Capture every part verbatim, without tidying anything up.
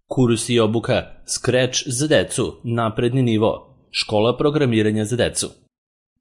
Kurs i obuka Scratch za decu, napredni nivo, škola programiranja za decu.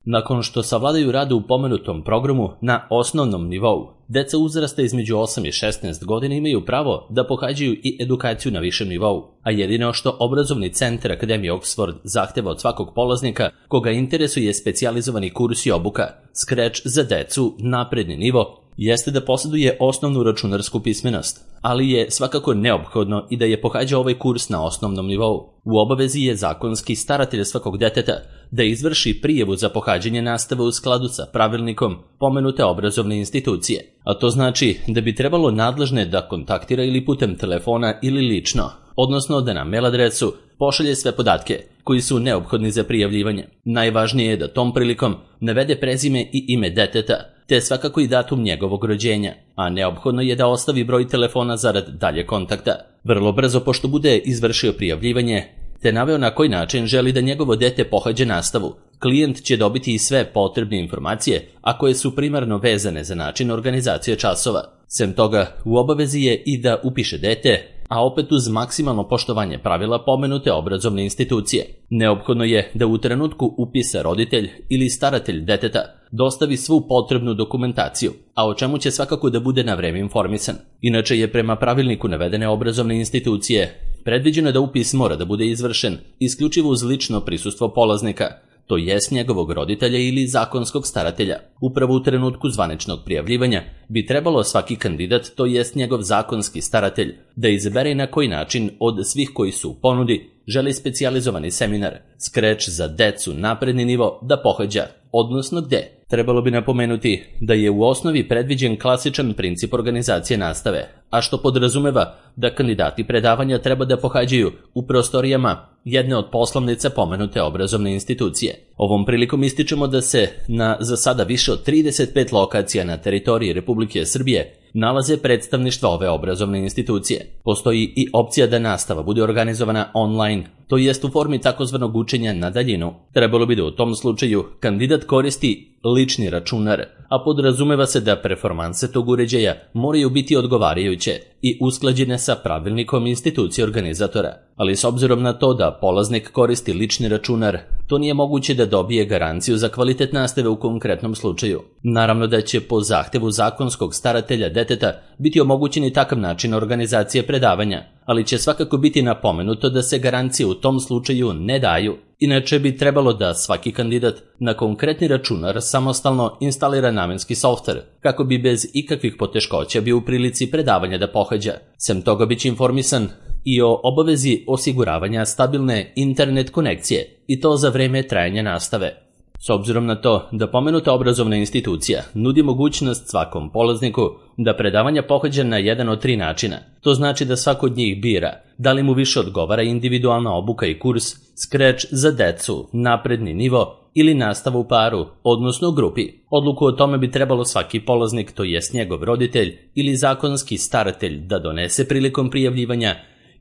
Nakon što savladaju rad u pomenutom programu na osnovnom nivou, deca uzrasta između osam i šesnaest godina imaju pravo da pohađaju i edukaciju na višem nivou, a jedino što obrazovni centar Akademije Oxford zahteva od svakog polaznika koga interesuje specijalizovani kurs i obuka Scratch za decu, napredni nivo, jeste da posjeduje osnovnu računarsku pismenost, ali je svakako neophodno i da je pohađa ovaj kurs na osnovnom nivou. U obavezi je zakonski staratelj svakog deteta da izvrši prijavu za pohađanje nastave u skladu sa pravilnikom pomenute obrazovne institucije, a to znači da bi trebalo nadležne da kontaktira ili putem telefona ili lično, odnosno da na mail adresu pošalje sve podatke koji su neophodni za prijavljivanje. Najvažnije je da tom prilikom navede prezime i ime deteta, te svakako i datum njegovog rođenja, a neophodno je da ostavi broj telefona zarad dalje kontakta. Vrlo brzo pošto bude izvršio prijavljivanje, te naveo na koji način želi da njegovo dete pohađa nastavu, klijent će dobiti i sve potrebne informacije, a koje su primarno vezane za način organizacije časova. Sem toga, u obavezi je i da upiše dete, a opet uz maksimalno poštovanje pravila pomenute obrazovne institucije. Neophodno je da u trenutku upisa roditelj ili staratelj deteta dostavi svu potrebnu dokumentaciju, a o čemu će svakako da bude na vreme informisan. Inače je prema pravilniku navedene obrazovne institucije predviđeno da upis mora da bude izvršen isključivo uz lično prisustvo polaznika, to jest njegovog roditelja ili zakonskog staratelja. Upravo u trenutku zvaničnog prijavljivanja bi trebalo svaki kandidat, to jest njegov zakonski staratelj, da izabere na koji način od svih koji su u ponudi želi specijalizovani seminar Scratch za decu, napredni nivo da pohađa, odnosno gde. Trebalo bi napomenuti da je u osnovi predviđen klasičan princip organizacije nastave, a što podrazumeva da kandidati predavanja treba da pohađaju u prostorijama jedne od poslovnica pomenute obrazovne institucije. Ovom prilikom ističemo da se na za sada više od trideset pet lokacija na teritoriji Republike Srbije nalaze predstavništva ove obrazovne institucije. Postoji i opcija da nastava bude organizovana online, to jest u formi takozvanog učenja na daljinu. Trebalo bi da u tom slučaju kandidat koristi lični računar, a podrazumeva se da performanse tog uređaja moraju biti odgovarajuće i usklađene sa pravilnikom institucije organizatora. Ali s obzirom na to da polaznik koristi lični računar, to nije moguće da dobije garanciju za kvalitet nastave u konkretnom slučaju. Naravno da će po zahtevu zakonskog staratelja deteta biti omogućen i takav način organizacije predavanja, ali će svakako biti napomenuto da se garancije u tom slučaju ne daju. Inače bi trebalo da svaki kandidat na konkretni računar samostalno instalira namenski softver, kako bi bez ikakvih poteškoća bio u prilici predavanja da pohađa. Sem toga biće informisan i o obavezi osiguravanja stabilne internet konekcije, i to za vreme trajanja nastave. S obzirom na to da pomenuta obrazovna institucija nudi mogućnost svakom polazniku da predavanja pohađa na jedan od tri načina, to znači da svako od njih bira da li mu više odgovara individualna obuka i kurs Scratch za decu, napredni nivo ili nastava u paru, odnosno u grupi. Odluku o tome bi trebalo svaki polaznik, to jest njegov roditelj ili zakonski staratelj, da donese prilikom prijavljivanja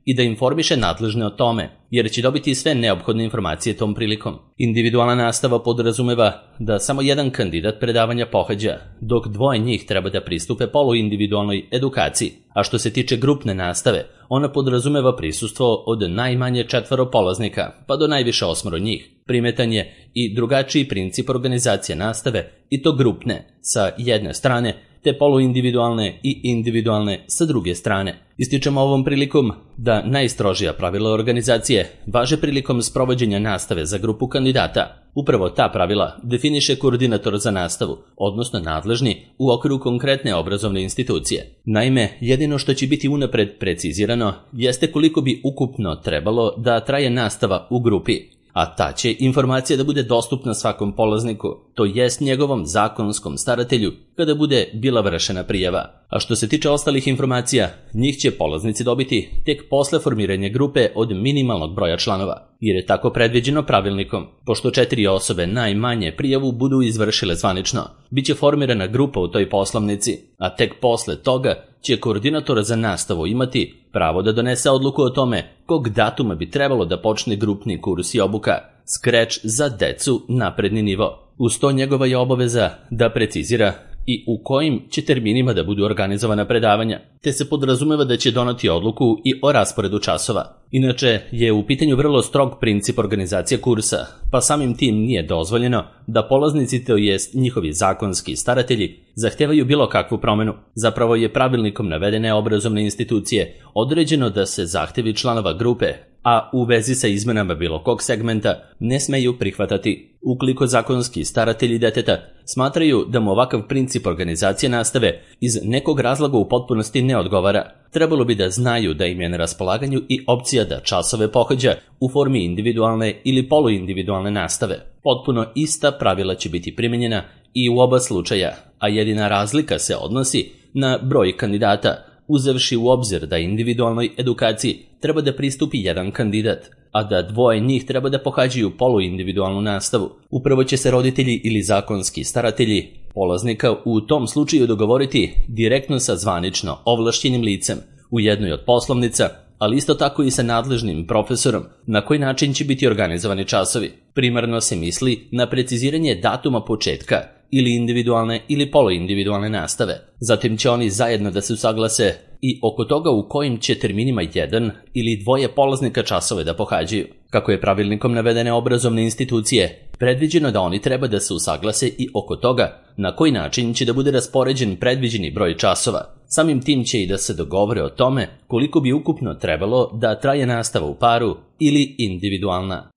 i da informiše nadležne o tome, jer će dobiti sve neophodne informacije tom prilikom. Individualna nastava podrazumeva da samo jedan kandidat predavanja pohađa, dok dvoje njih treba da pristupe poluindividualnoj edukaciji. A što se tiče grupne nastave, ona podrazumeva prisustvo od najmanje četvoro polaznika, pa do najviše osmoro njih. Primetan je i drugačiji princip organizacije nastave, i to grupne sa jedne strane, te poluindividualne i individualne sa druge strane. Ističemo ovom prilikom da najstrožija pravila organizacije važe prilikom sprovođenja nastave za grupu kandidata. Upravo ta pravila definiše koordinator za nastavu, odnosno nadležni u okviru konkretne obrazovne institucije. Naime, jedino što će biti unapred precizirano jeste koliko bi ukupno trebalo da traje nastava u grupi, a ta će informacija da bude dostupna svakom polazniku, to jest njegovom zakonskom staratelju, kada bude bila vršena prijava. A što se tiče ostalih informacija, njih će polaznici dobiti tek posle formiranja grupe od minimalnog broja članova, jer je tako predviđeno pravilnikom. Pošto četiri osobe najmanje prijavu budu izvršile zvanično, bit će formirana grupa u toj poslovnici, a tek posle toga će koordinator za nastavu imati pravo da donese odluku o tome kog datuma bi trebalo da počne grupni kurs i obuka Scratch za decu, napredni nivo. Uz to njegova je obaveza da precizira i u kojim će terminima da budu organizovana predavanja, te se podrazumeva da će doneti odluku i o rasporedu časova. Inače je u pitanju vrlo strog princip organizacije kursa, pa samim tim nije dozvoljeno da polaznici, to jest njihovi zakonski staratelji, zahtevaju bilo kakvu promenu. Zapravo je pravilnikom navedene obrazovne institucije određeno da se zahtevi članova grupe, a u vezi sa izmenama bilo kog segmenta, ne smeju prihvatati. Ukoliko zakonski staratelji deteta smatraju da mu ovakav princip organizacije nastave iz nekog razloga u potpunosti ne odgovara, trebalo bi da znaju da im je na raspolaganju i opcija da časove pohađa u formi individualne ili poluindividualne nastave. Potpuno ista pravila će biti primenjena i u oba slučaja, a jedina razlika se odnosi na broj kandidata, uzevši u obzir da individualnoj edukaciji treba da pristupi jedan kandidat, a da dvoje njih treba da pohađaju poluindividualnu nastavu. Upravo će se roditelji ili zakonski staratelji polaznika u tom slučaju dogovoriti direktno sa zvanično ovlašćenim licem u jednoj od poslovnica, ali isto tako i sa nadležnim profesorom na koji način će biti organizovani časovi. Primarno se misli na preciziranje datuma početka ili individualne ili poluindividualne nastave. Zatim će oni zajedno da se usaglase i oko toga u kojim će terminima jedan ili dvoje polaznika časove da pohađaju. Kako je pravilnikom navedene obrazovne institucije, predviđeno da oni treba da se usaglase i oko toga na koji način će da bude raspoređen predviđeni broj časova. Samim tim će i da se dogovore o tome koliko bi ukupno trebalo da traje nastava u paru ili individualna.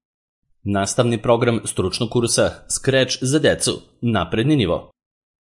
Nastavni program stručnog kursa Scratch za decu, napredni nivo.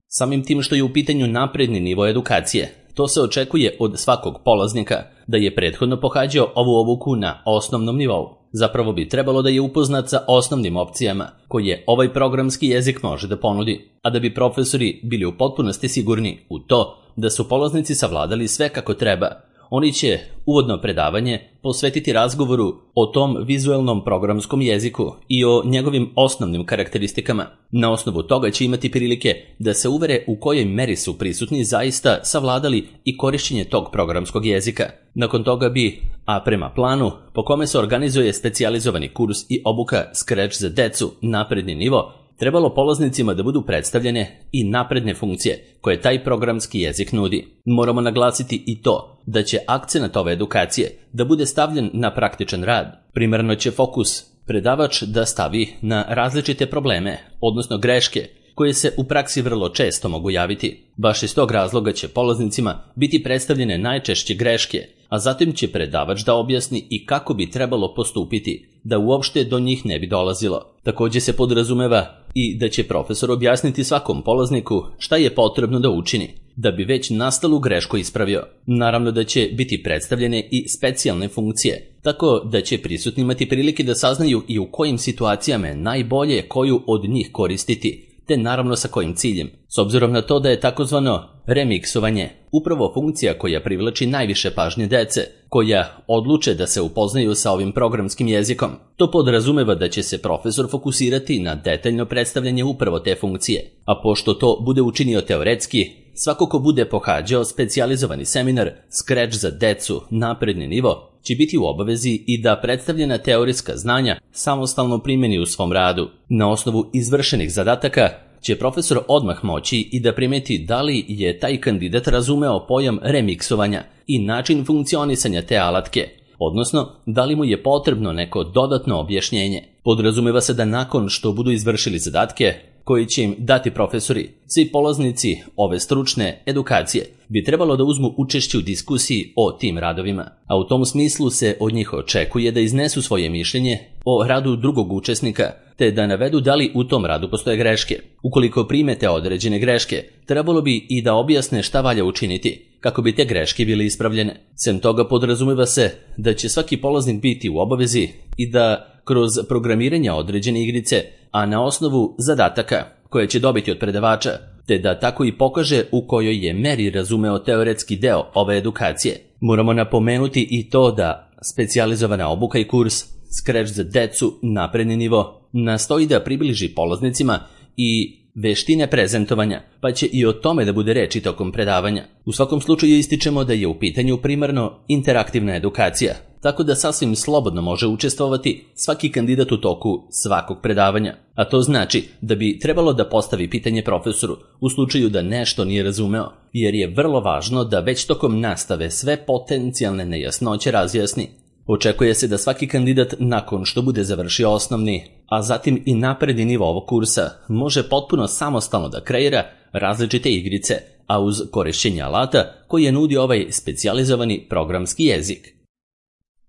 Samim tim što je u pitanju napredni nivo edukacije, to se očekuje od svakog polaznika da je prethodno pohađao ovu obuku na osnovnom nivou. Zapravo bi trebalo da je upoznat sa osnovnim opcijama koje ovaj programski jezik može da ponudi, a da bi profesori bili u potpunosti sigurni u to da su polaznici savladali sve kako treba. Oni će uvodno predavanje posvetiti razgovoru o tom vizuelnom programskom jeziku i o njegovim osnovnim karakteristikama. Na osnovu toga će imati prilike da se uvere u kojoj meri su prisutni zaista savladali i korišćenje tog programskog jezika. Nakon toga bi, a prema planu po kome se organizuje specijalizovani kurs i obuka Scratch za decu napredni nivo, trebalo polaznicima da budu predstavljene i napredne funkcije koje taj programski jezik nudi. Moramo naglasiti i to da će akcenat ove edukacije da bude stavljen na praktičan rad. Primarno će fokus predavač da stavi na različite probleme, odnosno greške, koje se u praksi vrlo često mogu javiti. Baš iz tog razloga će polaznicima biti predstavljene najčešće greške, a zatim će predavač da objasni i kako bi trebalo postupiti, da uopšte do njih ne bi dolazilo. Također se podrazumeva i da će profesor objasniti svakom polazniku šta je potrebno da učini, da bi već nastalu grešku ispravio. Naravno da će biti predstavljene i specijalne funkcije, tako da će prisutni imati prilike da saznaju i u kojim situacijama je najbolje koju od njih koristiti, te naravno sa kojim ciljem. S obzirom na to da je takozvano remiksovanje upravo funkcija koja privlači najviše pažnje dece, koja odluče da se upoznaju sa ovim programskim jezikom, to podrazumeva da će se profesor fokusirati na detaljno predstavljanje upravo te funkcije. A pošto to bude učinio teoretski, svako ko bude pohađao specijalizovani seminar Scratch za decu napredni nivo će biti u obavezi i da predstavljena teorijska znanja samostalno primjeni u svom radu. Na osnovu izvršenih zadataka će profesor odmah moći i da primeti da li je taj kandidat razumeo pojam remiksovanja i način funkcionisanja te alatke, odnosno da li mu je potrebno neko dodatno objašnjenje. Podrazumeva se da nakon što budu izvršili zadatke koji će im dati profesori, svi polaznici ove stručne edukacije bi trebalo da uzmu učešće u diskusiji o tim radovima, a u tom smislu se od njih očekuje da iznesu svoje mišljenje o radu drugog učesnika, te da navedu da li u tom radu postoje greške. Ukoliko primete određene greške, trebalo bi i da objasne šta valja učiniti, kako bi te greške bile ispravljene. Sem toga podrazumeva se da će svaki polaznik biti u obavezi i da kroz programiranje određene igrice, a na osnovu zadataka koje će dobiti od predavača, te da tako i pokaže u kojoj je meri razumeo teoretski deo ove edukacije. Moramo napomenuti i to da specijalizovana obuka i kurs Scratch za decu napredni nivo nastoji da približi polaznicima i veštine prezentovanja, pa će i o tome da bude reči tokom predavanja. U svakom slučaju ističemo da je u pitanju primarno interaktivna edukacija, tako da sasvim slobodno može učestvovati svaki kandidat u toku svakog predavanja. A to znači da bi trebalo da postavi pitanje profesoru u slučaju da nešto nije razumeo, jer je vrlo važno da već tokom nastave sve potencijalne nejasnoće razjasni. Očekuje se da svaki kandidat nakon što bude završio osnovni, a zatim i napredni nivo ovog kursa, može potpuno samostalno da kreira različite igrice, a uz korišćenje alata koji je nudi ovaj specijalizovani programski jezik.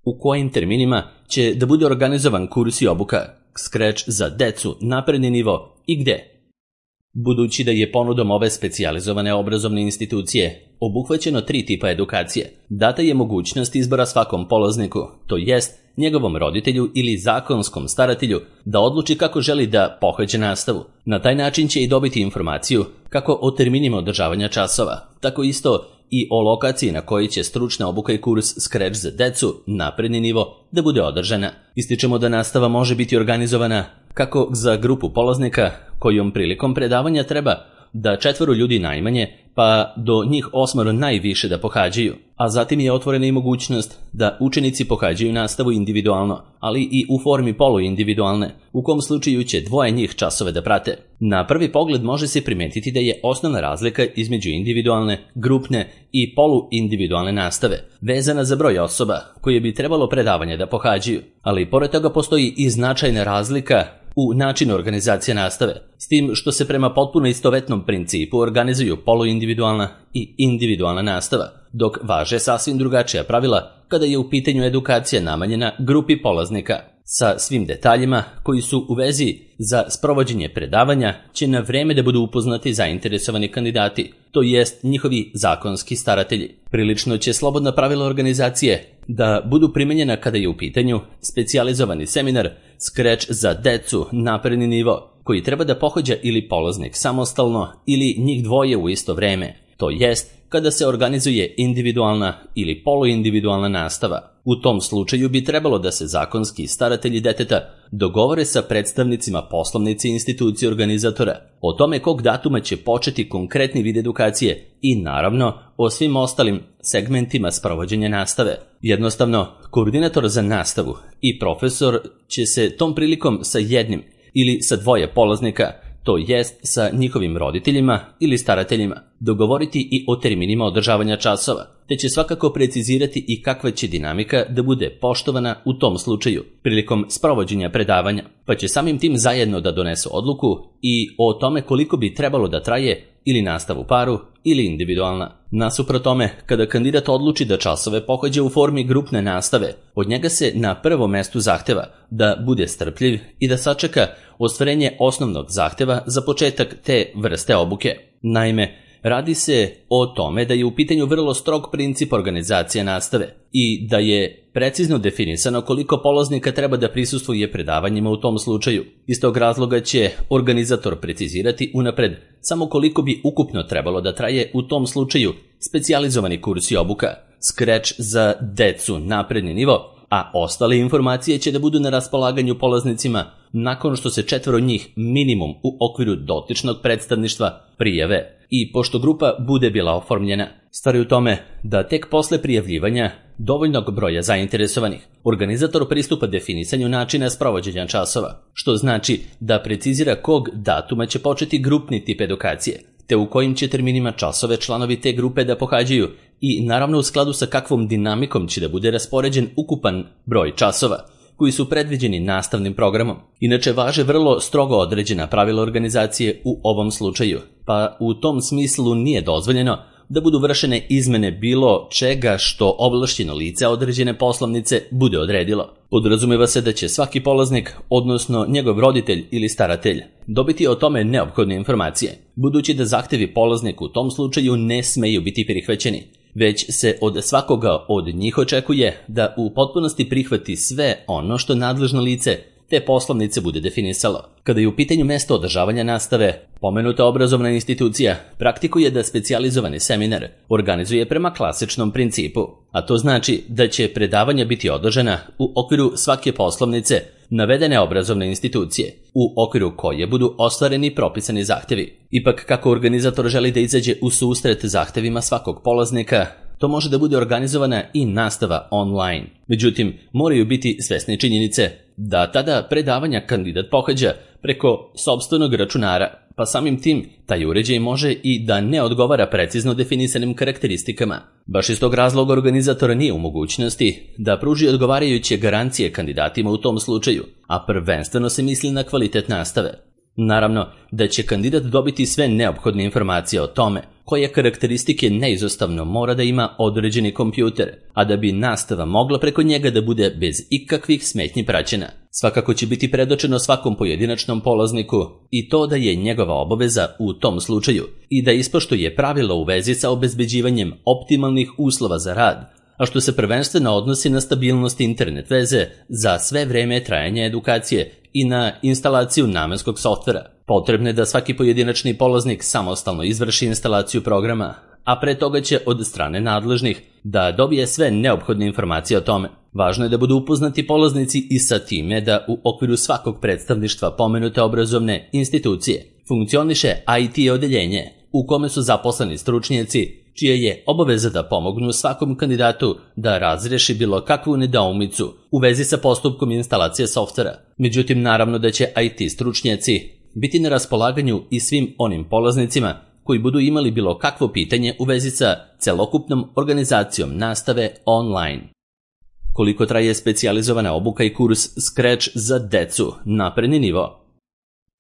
U kojim terminima će da bude organizovan kurs i obuka Scratch za decu, napredni nivo i gde? Budući da je ponudom ove specijalizovane obrazovne institucije obuhvaćeno tri tipa edukacije, data je mogućnost izbora svakom polazniku, to jest njegovom roditelju ili zakonskom staratelju, da odluči kako želi da pohađa nastavu. Na taj način će i dobiti informaciju kako o terminima održavanja časova, tako isto i o lokaciji na kojoj će stručna obuka i kurs Scratch za decu, napredni nivo, da bude održana. Ističemo da nastava može biti organizovana kako za grupu polaznika kojom prilikom predavanja treba da četvoro ljudi najmanje, pa do njih osmoro najviše da pohađaju, a zatim je otvorena i mogućnost da učenici pohađaju nastavu individualno, ali i u formi poluindividualne, u kom slučaju će dvoje njih časove da prate. Na prvi pogled može se primetiti da je osnovna razlika između individualne, grupne i poluindividualne nastave vezana za broj osoba koje bi trebalo predavanje da pohađaju, ali pored toga postoji i značajna razlika u načinu organizacije nastave, s tim što se prema potpuno istovetnom principu organizuju poluindividualna i individualna nastava, dok važe sasvim drugačija pravila kada je u pitanju edukacija namenjena grupi polaznika. Sa svim detaljima koji su u vezi za sprovođenje predavanja će na vreme da budu upoznati zainteresovani kandidati, to jest njihovi zakonski staratelji. Prilično će slobodna pravila organizacije da budu primenjena kada je u pitanju specijalizovani seminar Scratch za decu, napredni nivo, koji treba da pohađa ili polaznik samostalno ili njih dvoje u isto vreme, to jest kada se organizuje individualna ili poluindividualna nastava. U tom slučaju bi trebalo da se zakonski staratelji deteta dogovore sa predstavnicima poslovnice institucije organizatora o tome kog datuma će početi konkretni vid edukacije i naravno o svim ostalim segmentima sprovođenja nastave. Jednostavno, koordinator za nastavu i profesor će se tom prilikom sa jednim ili sa dvoje polaznika, to jest sa njihovim roditeljima ili starateljima, dogovoriti i o terminima održavanja časova, te će svakako precizirati i kakva će dinamika da bude poštovana u tom slučaju prilikom sprovođenja predavanja, pa će samim tim zajedno da donesu odluku i o tome koliko bi trebalo da traje ili nastav u paru ili individualna. Nasuprot tome, kada kandidat odluči da časove pohađa u formi grupne nastave, od njega se na prvom mestu zahteva da bude strpljiv i da sačeka ostvarenje osnovnog zahteva za početak te vrste obuke. Naime, radi se o tome da je u pitanju vrlo strog princip organizacije nastave i da je precizno definisano koliko polaznika treba da prisustvuje predavanjima u tom slučaju. Iz tog razloga će organizator precizirati unapred samo koliko bi ukupno trebalo da traje u tom slučaju specijalizovani kurs i obuka Scratch za decu, napredni nivo, a ostale informacije će da budu na raspolaganju polaznicima nakon što se četvoro njih minimum u okviru dotičnog predstavništva prijave i pošto grupa bude bila oformljena. Stvar je u tome da tek posle prijavljivanja dovoljnog broja zainteresovanih organizator pristupa definisanju načina sprovođenja časova, što znači da precizira kog datuma će početi grupni tip edukacije, te u kojim će terminima časove članovi te grupe da pohađaju i naravno u skladu sa kakvom dinamikom će da bude raspoređen ukupan broj časova koji su predviđeni nastavnim programom. Inače važe vrlo strogo određena pravila organizacije u ovom slučaju, pa u tom smislu nije dozvoljeno da budu vršene izmene bilo čega što ovlašćeno lice određene poslovnice bude odredilo. Podrazumeva se da će svaki polaznik, odnosno njegov roditelj ili staratelj, dobiti o tome neophodne informacije, budući da zahtevi polaznika u tom slučaju ne smeju biti prihvaćeni, već se od svakoga od njih očekuje da u potpunosti prihvati sve ono što nadležno lice te poslovnice bude definisalo. Kada je u pitanju mesto održavanja nastave, pomenuta obrazovna institucija praktikuje da specijalizovani seminar organizuje prema klasičnom principu, a to znači da će predavanja biti održana u okviru svake poslovnice navedene obrazovne institucije, u okviru koje budu ostvareni propisani zahtevi. Ipak, kako organizator želi da izađe u susret zahtevima svakog polaznika, to može da bude organizovana i nastava online. Međutim, moraju biti svesni činjenice da tada predavanja kandidat pohađa preko sopstvenog računara, pa samim tim taj uređaj može i da ne odgovara precizno definisanim karakteristikama. Baš iz tog razloga organizator nije u mogućnosti da pruži odgovarajuće garancije kandidatima u tom slučaju, a prvenstveno se misli na kvalitet nastave. Naravno da će kandidat dobiti sve neophodne informacije o tome koje karakteristike neizostavno mora da ima određeni kompjuter, a da bi nastava mogla preko njega da bude bez ikakvih smetnji praćena. Svakako će biti predočeno svakom pojedinačnom polazniku i to da je njegova obaveza u tom slučaju i da ispoštuje pravila u vezi sa obezbeđivanjem optimalnih uslova za rad, a što se prvenstveno odnosi na stabilnost internet veze za sve vreme trajanja edukacije i na instalaciju namenskog softvera. Potrebno je da svaki pojedinačni polaznik samostalno izvrši instalaciju programa, a pre toga će od strane nadležnih da dobije sve neophodne informacije o tome. Važno je da budu upoznati polaznici i sa time da u okviru svakog predstavništva pomenute obrazovne institucije funkcioniše I T odeljenje u kome su zaposleni stručnjaci čija je obaveza da pomognu svakom kandidatu da razreši bilo kakvu nedoumicu u vezi sa postupkom instalacije softvera. Međutim, naravno da će I T stručnjaci biti na raspolaganju i svim onim polaznicima koji budu imali bilo kakvo pitanje u vezi sa celokupnom organizacijom nastave online. Koliko traje specijalizovana obuka i kurs Scratch za decu, napredni nivo?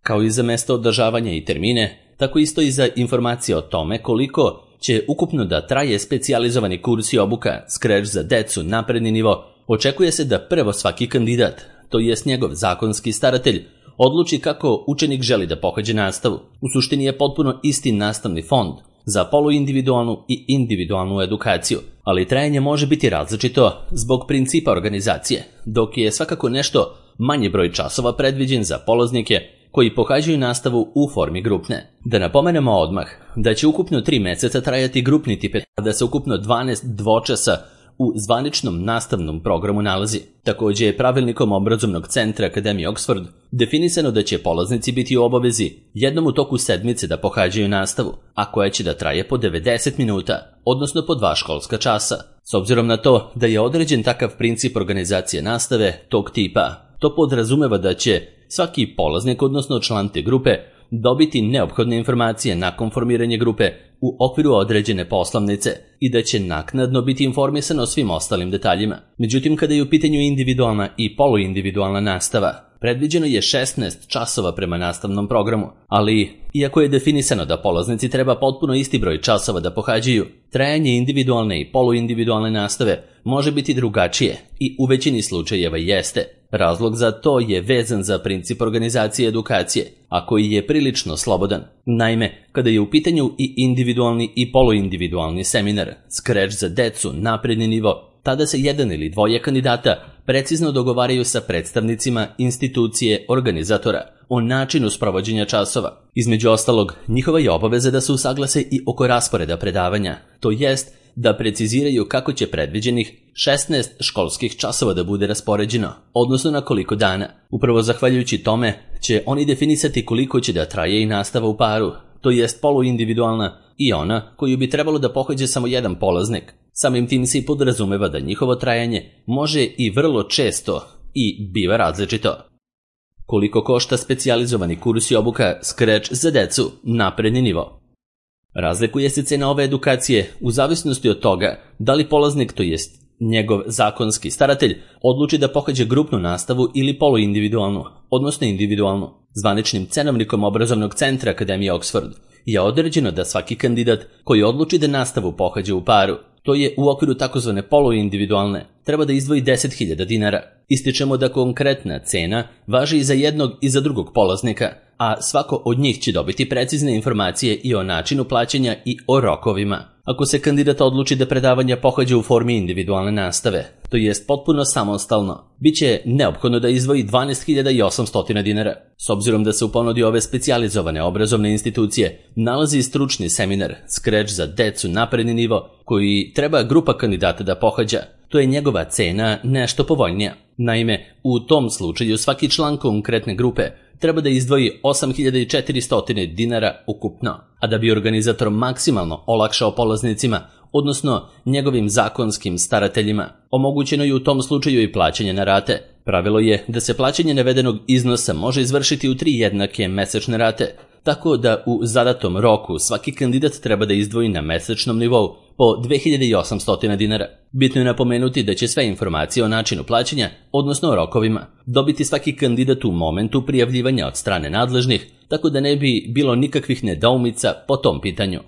Kao i za mesto održavanja i termine, tako isto i za informacije o tome koliko će ukupno da traje specijalizovani kurs i obuka Scratch za decu, napredni nivo, očekuje se da prvo svaki kandidat, to jest njegov zakonski staratelj, odluči kako učenik želi da pohađa nastavu. U suštini je potpuno isti nastavni fond za poluindividualnu i individualnu edukaciju, ali trajanje može biti različito zbog principa organizacije, dok je svakako nešto manji broj časova predviđen za polaznike koji pohađaju nastavu u formi grupne. Da napomenemo odmah da će ukupno tri meseca trajati grupni tip, a da se ukupno dvanaest dvočasa u zvaničnom nastavnom programu nalazi. Također je pravilnikom obrazovnog centra Akademije Oxford definisano da će polaznici biti u obavezi jednom u toku sedmice da pohađaju nastavu, a koja će da traje po devedeset minuta, odnosno po dva školska časa. S obzirom na to da je određen takav princip organizacije nastave tog tipa, to podrazumeva da će svaki polaznik, odnosno član te grupe, dobiti neophodne informacije nakon formiranja grupe u okviru određene poslovnice i da će naknadno biti informisan o svim ostalim detaljima. Međutim, kada je u pitanju individualna i poluindividualna nastava, predviđeno je šesnaest časova prema nastavnom programu, ali iako je definisano da polaznici treba potpuno isti broj časova da pohađaju, trajanje individualne i poluindividualne nastave može biti drugačije i u većini slučajeva jeste. Razlog za to je vezan za princip organizacije edukacije, a koji je prilično slobodan. Naime, kada je u pitanju i individualni i poluindividualni seminar Scratch za decu, napredni nivo, tada se jedan ili dvoje kandidata precizno dogovaraju sa predstavnicima institucije organizatora o načinu sprovođenja časova. Između ostalog, njihova je obaveza da se usaglase i oko rasporeda predavanja, to jest da preciziraju kako će predviđenih šesnaest školskih časova da bude raspoređeno, odnosno na koliko dana. Upravo zahvaljujući tome će oni definisati koliko će da traje i nastava u paru, to jest poluindividualna i ona koju bi trebalo da pohađa samo jedan polaznik. Samim tim se i podrazumeva da njihovo trajanje može i vrlo često i biva različito. Koliko košta specijalizovani kurs i obuka Scratch za decu, napredni nivo? Razlikuje se cena ove edukacije u zavisnosti od toga da li polaznik, to jest njegov zakonski staratelj, odluči da pohađa grupnu nastavu ili poluindividualnu, odnosno individualnu. Zvaničnim cenovnikom obrazovnog centra Akademije Oxford je određeno da svaki kandidat koji odluči da nastavu pohađa u paru, to je u okviru takozvane poluindividualne, treba da izdvoji deset hiljada dinara. Ističemo da konkretna cena važi i za jednog i za drugog polaznika, a svako od njih će dobiti precizne informacije i o načinu plaćanja i o rokovima. Ako se kandidat odluči da predavanja pohađa u formi individualne nastave, to jest potpuno samostalno, bit će neophodno da izdvoji dvanaest hiljada osamsto dinara. S obzirom da se u ponudi ove specijalizovane obrazovne institucije nalazi stručni seminar Scratch za decu, napredni nivo, koji treba grupa kandidata da pohađa, to je njegova cena nešto povoljnija. Naime, u tom slučaju svaki član konkretne grupe treba da izdvoji osam hiljada četiristo dinara ukupno, a da bi organizator maksimalno olakšao polaznicima odnosno njegovim zakonskim starateljima. Omogućeno je u tom slučaju i plaćanje na rate. Pravilo je da se plaćanje navedenog iznosa može izvršiti u tri jednake mesečne rate, tako da u zadatom roku svaki kandidat treba da izdvoji na mesečnom nivou po dve hiljade osamsto dinara. Bitno je napomenuti da će sve informacije o načinu plaćanja, odnosno o rokovima, dobiti svaki kandidat u momentu prijavljivanja od strane nadležnih, tako da ne bi bilo nikakvih nedoumica po tom pitanju.